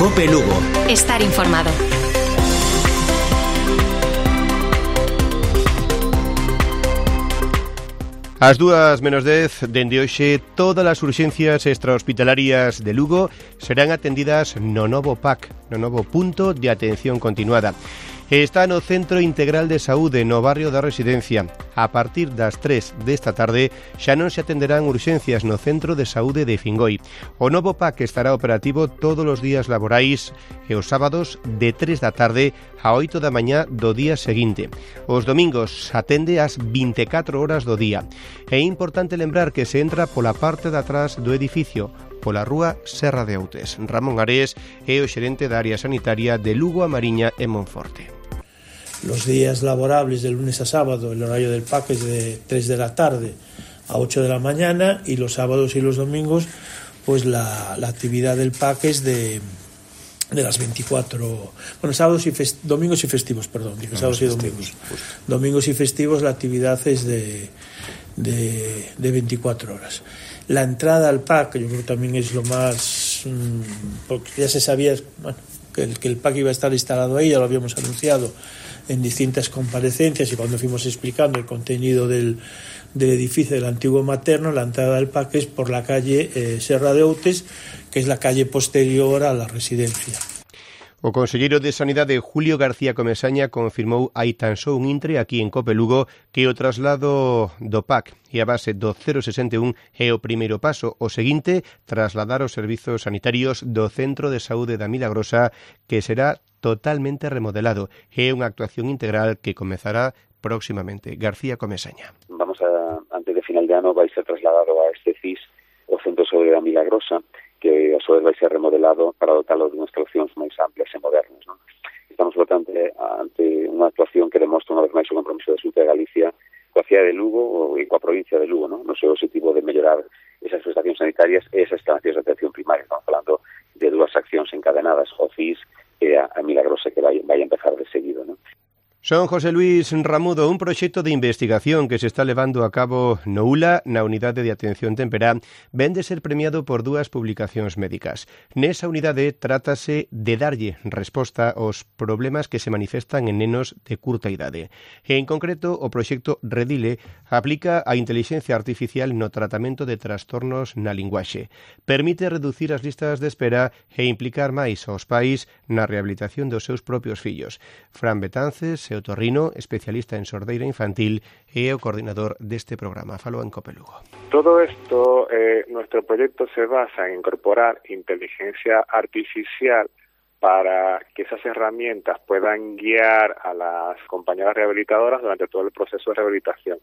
COPE Lugo. Estar informado. Ás 2:10, dende hoxe, todas as urxencias extrahospitalarias de Lugo serán atendidas no novo PAC, no novo punto de atención continuada. Está no Centro Integral de Saúde, no barrio da Residencia. A partir das 3 desta tarde xa non se atenderán urxencias no Centro de Saúde de Fingoi. O novo PAC estará operativo todos os días laborais e os sábados de 3 da tarde a 8 da mañá do día seguinte. Os domingos atende ás 24 horas do día. É importante lembrar que se entra pola parte de atrás do edificio, pola rúa Serra de Outes. Ramón Ares é o xerente da área sanitaria de Lugo, A Mariña e Monforte. Los días laborables de lunes a sábado, el horario del PAC es de 3 de la tarde a 8 de la mañana, y los sábados y los domingos pues la actividad del PAC es de las 24, bueno, sábados y domingos y festivos, perdón, sábados y domingos. Domingos y festivos la actividad es de 24 horas. La entrada al PAC, yo creo que también es lo más, porque ya se sabía, bueno, que el PAC iba a estar instalado ahí, ya lo habíamos anunciado en distintas comparecencias, y cuando fuimos explicando el contenido del edificio del antiguo materno, la entrada del PAC es por la calle Serra de Outes, que es la calle posterior a la residencia. O conselleiro de Sanidade, Julio García Comesaña, confirmou hai tan só un intre aquí en COPE Lugo que o traslado do PAC e a base do 061 é o primeiro paso. O seguinte, trasladar os servizos sanitarios do Centro de Saúde da Milagrosa, que será totalmente remodelado. É unha actuación integral que comezará próximamente. García Comesaña. Antes de final de ano vai ser trasladado a este CIS o Centro de Saúde da Milagrosa, que a súa vez vai ser remodelado para dotalo de unhas instalacións máis amplias e modernas, non? Estamos, por tanto, ante unha actuación que demostra unha vez máis o compromiso da Xunta de Galicia coa cidade de Lugo e coa provincia de Lugo, non? No seu objetivo de mellorar esas prestacións sanitarias e esas instalacións de atención primaria. Estamos falando de dúas accións encadenadas, o CIS e a Milagrosa, que vai a empezar de seguido, non? Son José Luis Ramudo. Un proxecto de investigación que se está levando a cabo no ULA, na Unidade de Atención Temperá, ven de ser premiado por dúas publicacións médicas. Nesa unidade trátase de darlle resposta aos problemas que se manifestan en nenos de curta idade. En concreto, o proxecto Redile aplica a intelixencia artificial no tratamento de trastornos na linguaxe. Permite reducir as listas de espera e implicar máis aos pais na rehabilitación dos seus propios fillos. Fran Betances, otorrino, especialista en sordeira infantil, e o coordinador deste programa. Falou en COPE Lugo. Todo esto, nuestro proyecto se basa en incorporar inteligencia artificial para que esas herramientas puedan guiar a las compañeras rehabilitadoras durante todo el proceso de rehabilitación,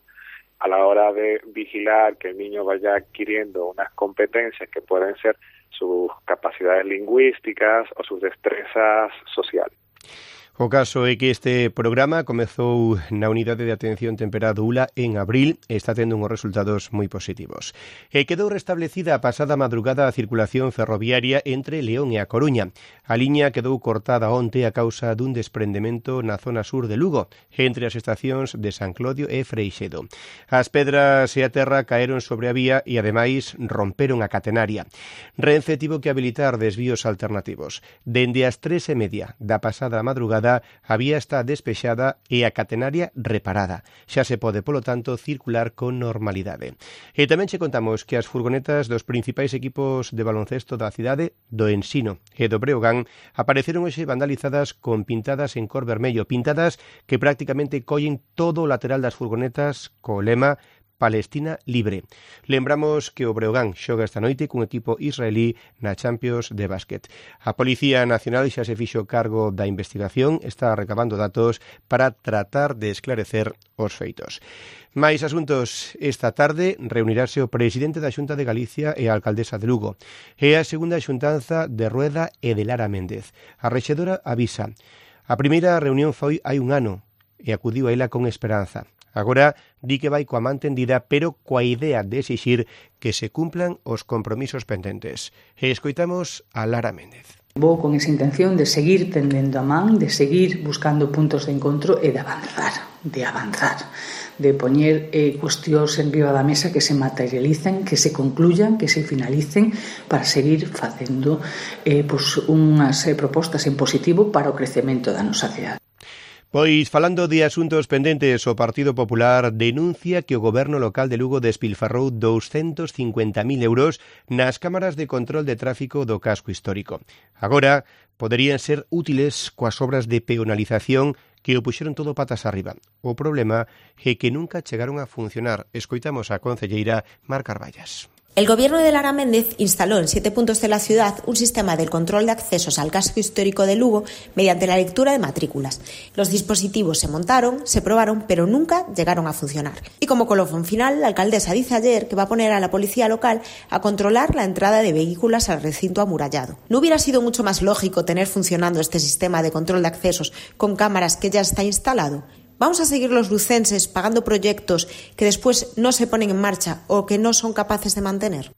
a la hora de vigilar que el niño vaya adquiriendo unas competencias que pueden ser sus capacidades lingüísticas o sus destrezas sociales. O caso é que este programa comezou na Unidade de Atención Temperá do ULA en abril e está tendo uns resultados moi positivos. E quedou restablecida a pasada madrugada a circulación ferroviaria entre León e A Coruña. A liña quedou cortada onte a causa dun desprendemento na zona sur de Lugo, entre as estacións de San Clodio e Freixedo. As pedras e a terra caeron sobre a vía e, ademais, romperon a catenaria. Renfe tivo que habilitar desvíos alternativos. Dende as 3:30 da pasada madrugada, a vía está despexada e a catenaria reparada. Xa se pode, polo tanto, circular con normalidade. E tamén che contamos que as furgonetas dos principais equipos de baloncesto da cidade, do Ensino e do Breogán, apareceron hoxe vandalizadas con pintadas en cor vermello, pintadas que prácticamente collen todo o lateral das furgonetas co lema Palestina libre. Lembramos que o Breogán xoga esta noite cun equipo israelí na Champions de básquet. A Policía Nacional xa se fixo cargo da investigación, está recabando datos para tratar de esclarecer os feitos. Máis asuntos. Esta tarde reunirase o presidente da Xunta de Galicia e a alcaldesa de Lugo. É a segunda xuntanza de Rueda e de Lara Méndez. A rexedora avisa. A primeira reunión foi hai un ano e acudiu a ela con esperanza. Agora di que vai coa man tendida, pero coa idea de exixir que se cumplan os compromisos pendentes. E escoitamos a Lara Méndez. Vou con esa intención de seguir tendendo a man, de seguir buscando puntos de encontro e de avanzar, de poñer cuestións en riba da mesa que se materialicen, que se concluyan, que se finalicen para seguir facendo unhas propostas en positivo para o crecemento da nosa cidade. Pois, falando de asuntos pendentes, o Partido Popular denuncia que o goberno local de Lugo despilfarrou 250.000 euros nas cámaras de control de tráfico do casco histórico. Agora, poderían ser útiles coas obras de peonalización que o puxeron todo patas arriba. O problema é que nunca chegaron a funcionar. Escoitamos a concelleira Mar Carballas. El gobierno de Lara Méndez instaló en 7 puntos de la ciudad un sistema de control de accesos al casco histórico de Lugo mediante la lectura de matrículas. Los dispositivos se montaron, se probaron, pero nunca llegaron a funcionar. Y como colofón final, la alcaldesa dice ayer que va a poner a la policía local a controlar la entrada de vehículos al recinto amurallado. ¿No hubiera sido mucho más lógico tener funcionando este sistema de control de accesos con cámaras que ya está instalado? ¿Vamos a seguir los lucenses pagando proyectos que después no se ponen en marcha o que no son capaces de mantener?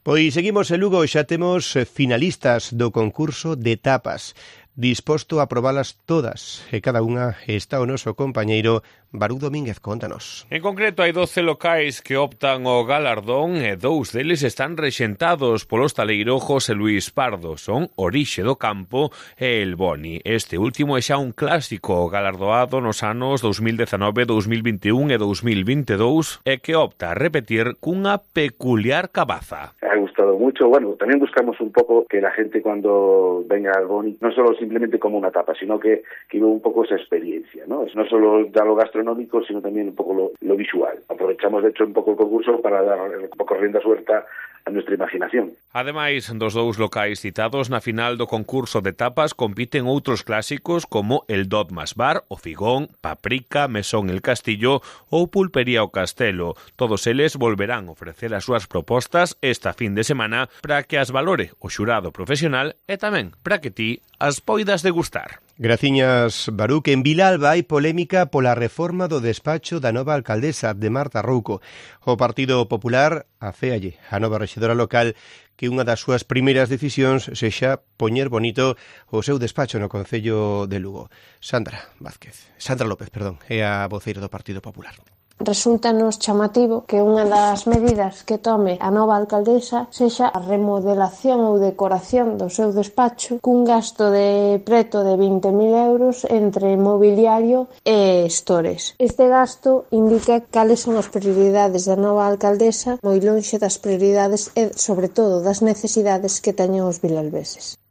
Pois seguimos en Lugo, xa temos finalistas do concurso de tapas. Disposto a probalas todas e cada unha está o noso compañeiro Barú Domínguez, contanos. En concreto, hai 12 locais que optan ao galardón e 2 deles están rexentados polo hostaleiro José Luis Pardo. Son Orixe do Campo e El Boni. Este último é xa un clásico galardoado nos anos 2019, 2021 e 2022 e que opta a repetir cunha peculiar cabaza. Ha gustado mucho. Bueno, también buscamos un poco que la gente cuando venga al Boni, no solo simplemente como una tapa, sino que viva un poco esa experiencia, ¿no? No solo ya lo gastronómico, sino también un poco lo visual. Aprovechamos, de hecho, un poco el concurso para dar un poco rienda suelta a nuestra imaginación. Ademais dos 2 locais citados na final do concurso de tapas compiten outros clásicos como el Dogmas Bar, o Figón, Paprika, Mesón el Castillo ou Pulpería o Castelo. Todos eles volverán a ofrecer as súas propostas esta fin de semana para que as valore o xurado profesional e tamén para que ti as poidas degustar. Graciñas, Barú, que en Vilalba hai polémica pola reforma do despacho da nova alcaldesa de Marta Rouco. O Partido Popular aféalle a nova rexedora local que unha das súas primeiras decisións sexa poñer bonito o seu despacho no Concello de Lugo. Sandra López, é a voceira do Partido Popular. Resulta-nos chamativo que unha das medidas que tome a nova alcaldesa sexa a remodelación ou decoración do seu despacho cun gasto de preto de 20.000 euros entre mobiliario e stores. Este gasto indica cales son as prioridades da nova alcaldesa, moi lonxe das prioridades e, sobre todo, das necesidades que teñen os vilalbeses.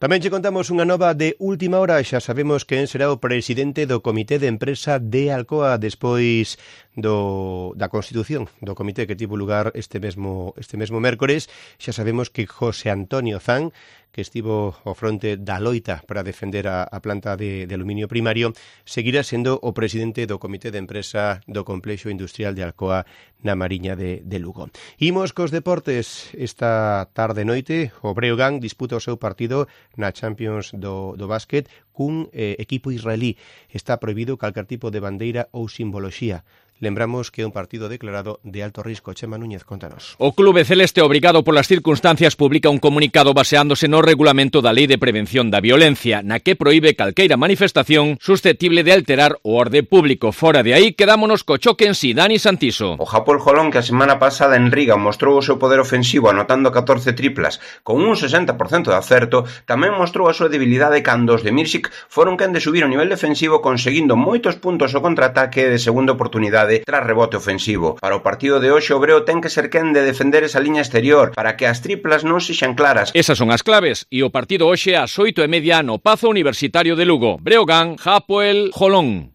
Tamén che contamos unha nova de última hora. Xa sabemos quen será o presidente do Comité de Empresa de Alcoa despois da constitución do comité que tivo lugar este mesmo mércores. Xa sabemos que José Antonio Zan, que estivo ao fronte da loita para defender a planta de aluminio primario, seguirá sendo o presidente do Comité de Empresa do Complexo Industrial de Alcoa na Mariña de Lugo. Imos cos deportes. Esta tarde noite o Breogán disputa o seu partido na Champions do básquet cun equipo israelí. Está prohibido calquer tipo de bandeira ou simboloxía. Lembramos que é un partido declarado de alto risco. Chema Núñez, contanos. O Clube Celeste, obrigado polas circunstancias, publica un comunicado baseándose no regulamento da Lei de Prevención da Violencia, na que proíbe calqueira manifestación susceptible de alterar o orde público. Fora de aí, quedámonos co choque en si. Dani Santiso. O Hapoel Holon, que a semana pasada en Riga mostrou o seu poder ofensivo anotando 14 triplas con un 60% de acerto, tamén mostrou a súa debilidade cando os de Mirsic foron quen de subir o nivel defensivo conseguindo moitos puntos ao contraataque de segunda oportunidade tras rebote ofensivo. Para o partido de hoxe, o Breo ten que ser quen de defender esa liña exterior para que as triplas non sexan claras. Esas son as claves e o partido hoxe ás 8:30 no Pazo Universitario de Lugo. Breogán, Hapoel Holon.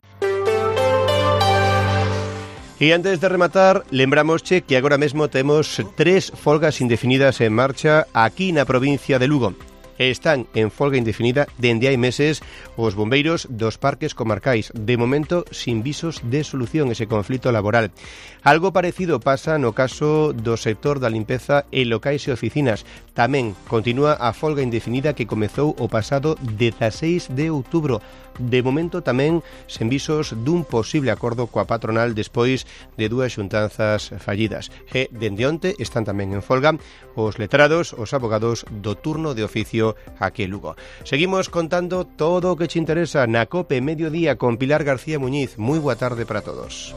E antes de rematar, lembramosche que agora mesmo temos 3 folgas indefinidas en marcha aquí na provincia de Lugo. Están en folga indefinida dende hai meses os bombeiros dos parques comarcais, de momento sin visos de solución ese conflito laboral. Algo parecido pasa no caso do sector da limpeza en locais e oficinas. Tamén continúa a folga indefinida que comezou o pasado 16 de outubro. De momento tamén sen visos dun posible acordo coa patronal despois de dúas xuntanzas fallidas. E dende onte están tamén en folga os letrados, os abogados do turno de oficio aquí en Lugo. Seguimos contando todo o que che interesa na COPE Mediodía con Pilar García Muñiz. Moi boa tarde para todos.